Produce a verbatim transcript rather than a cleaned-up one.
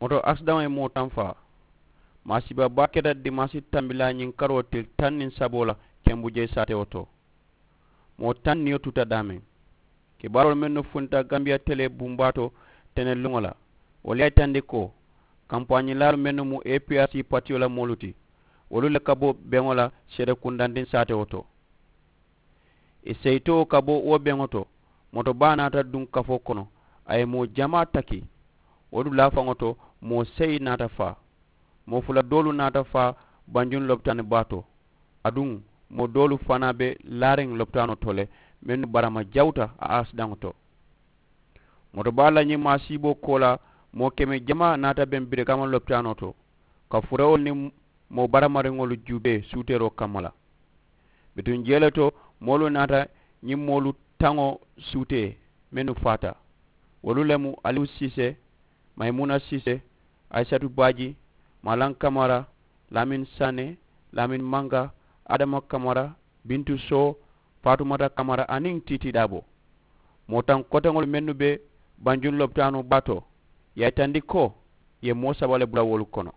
Moto akisidaŋo ye moo taŋ faa. Maasiiba baa keta dimaasi tambilaa ñiŋ karoo tili taŋ niŋ saboo la kembu jee saatewo to. Moo taŋ niyo tuta daameŋ. Kibaaroolu mennu funta gambiya telee bumbaa to teneluŋo la, wolu ye a yitandi ko kampaañilaalu mennu mu a p r c patiyo la moolu ti, wolu le ka bo beŋo la seede kundandiŋ saatewo to. Ì seyitoo ka bo wo beŋo to, moto baa naata duŋ kafoo kono. A ye moo jamaa taki. Wo dulaa faŋo to, moo seyi naata faa. Moo fula doolu naata faa banjuŋ lopitaani baa to. Aduŋ moo doolu fanaa be laariŋ lopitaanoo to le, mennu barama jawuta a akisidaŋo to. Moto baa la ñiŋ maasiiboo koolaa, moo keme jamaa naata beŋ birikama lopitaanoo to, ka furewolu niŋ moo baramariŋolu juubee suuteeroo kamma la. Bituŋ jee le to, moolu naata ñiŋ moolu taŋo suutee mennu faata. Wolu le mu aliwu siisee, mayimuna siisee, ayisatu baaji, maalaŋ kamara, laamin saane, laamin manga, adama kamara, bintu soo, faatumata kamara aniŋ tiitii daabo. Moo taŋ koteŋolu mennu be banjuŋ lopitaanoo baa to, ì ye a yitandi ko ì ye moo saba le bula wolu kono.